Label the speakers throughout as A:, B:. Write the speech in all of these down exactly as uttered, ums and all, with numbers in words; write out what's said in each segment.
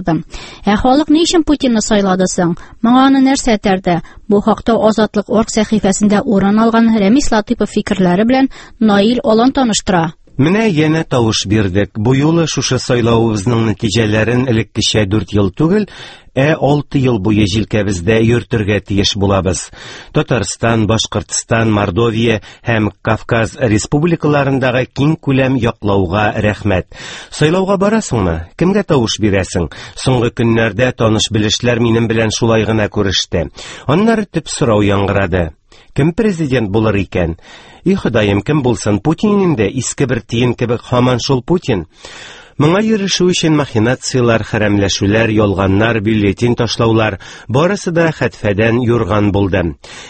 A: Ә халык ни өчен Путинны сайлады соң? Моңа аны нәрсә этәрде? Бу хакта Азатлык орг сәхифәсендә урын алган Рәмис Латыйпов фикерләре белән Наил Алан таныштыра.
B: Менә янә тавыш бирдек. Бу юлы шушы сайлавыбызның нәтиҗәләрен элеккечә дүрт ел түгел, ә алты ел буе җилкәбездә йөртергә тиеш булабыз. Татарстан, Башкортстан, Мордовия һәм Кавказ республикаларындагы киң күләм яклауга рәхмәт. Сайлауга барасыңмы? Кемгә тавыш бирәсең? Соңгы көннәрдә таныш-белешләр минем белән шулай гына күреште. Аннары төп сорау яңгырады. Кем президент булыр икән? И Ходаем, кем булсын? Путин инде, иске бер тиен кебек һаман шул Путин. Моңа ирешү өчен махинациялар, хәрәмләшүләр, ялганнар, бюллетень ташлаулар барысы да хәтфәдән юрган булды.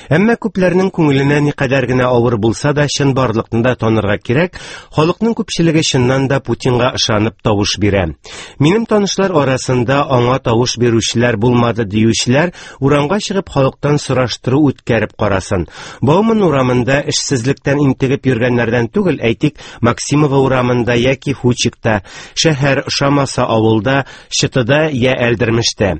B: Әмма күпләрнең күңеленә никадәр генә авыр булса да, чынбарлыкны да танырга кирәк, халыкның күпчелеге чыннан да Путинга ышанып тавыш бирә. Минем танышлар арасында аңа тавыш бирүчеләр булмады диючеләр урамга чыгып халыктан сораштыру үткәреп карасын. Бауман урамында эшсезлектән интегеп йөргәннәрдән түгел, әйтик, Максимова урамында яки Фучикта, шәһәр ошамаса авылда, Чытыда я Әлдермештә.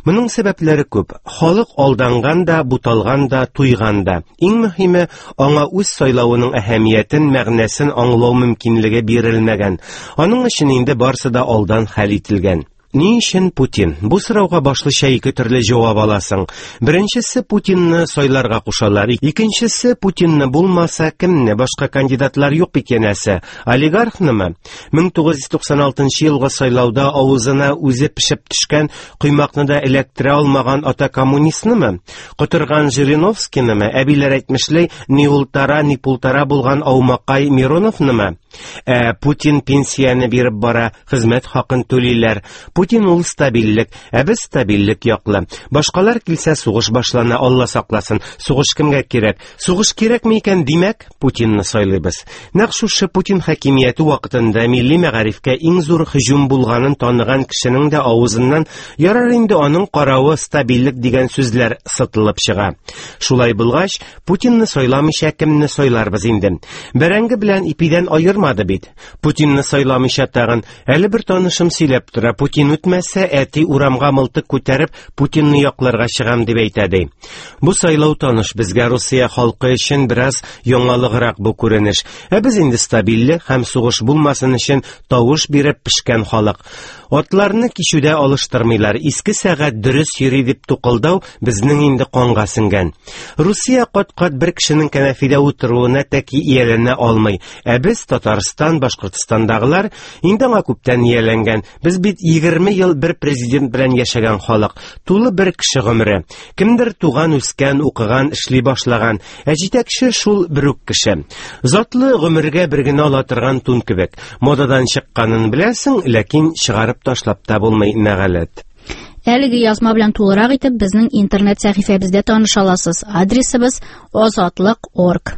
B: Моның сәбәпләре күп. Халык алданган да, буталган да, туйган да. Иң мөһиме, аңа үз сайлавының әһәмиятен, мәгънәсен аңлау мөмкинлеге бирелмәгән. Аның өчен инде барысы да алдан хәл ителгән. Ни өчен Путин? Бу сорауга башлыча ике төрле җавап аласың. Беренчесе, Путинны сайларга кушалар. Икенчесе, Путинны булмаса, кемне? Башка кандидатлар юк бит янәсе. Олигархнымы? мең тугыз йөз туксан алтынчы елгы сайлауда авызына үзе пешеп төшкән коймакны да эләктерә алмаган ата коммунистнымы? Котырган Жириновскийнымы? Әбиләр әйтмешли, ни ултара, ни пултара булган аумакай Мироновнымы? Ә Путин пенсияне биреп бара, хезмәт хакын түлиләр. Путин ул стабильлек, ә без стабильлек яклы. Башкалар килсә сугыш башлана, Алла сакласын. Сугыш кемгә кирәк? Сугыш кирәкме икән, димәк, Путинны сайлыйбыз. Нәкъ шушы Путин хакимияте вакытында милли мәгарифкә иң зур һөҗүм булганын таныган кешенең дә авызыннан ярар инде аның каравы стабильлек дигән сүзләр сытылып чыга. Шулай булгач, Путинны сайламыйча кемне сайларбыз инде? Бәрәңге белән ипидән аермады бит. Путинны сайламыйча тагын әле бер танышым сөйләп тора, Путин үтмәсә, әти урамга мылтык күтәреп Путинны якларга чыгам дип әйтә ди. Бу сайлау таныш безгә, Русия халкы өчен бераз яңалыграк бу күренеш. Ә без инде стабильлек һәм сугыш булмасын өчен тавыш биреп пешкән халык. Атларны кичүдә алыштырмыйлар, иске сәгать дөрес йөри дип тукылдау безнең инде канга сеңгән. Русия кат-кат бер кешенең кәнәфидә утыруына тәки ияләнә алмый. Ә без, Татарстан, Башкортстандагылар, инде аңа күптән ияләнгән. Без бит егерме ел бер президент белән яшәгән халык, тулы бер кеше гомере. Кемдер туган, үскән, укыган, эшли башлаган, ә җитәкче шул бер үк кеше. Затлы гомергә бер генә ала торган тун кебек. Модадан чыкканын беләсең, ләкин чыгарып ташлап та булмый, нәгаләт.
A: Әлеге язма белән тулырак итеп безнең интернет сәхифәбездә таныша аласыз. Адресыбыз азатлык орг.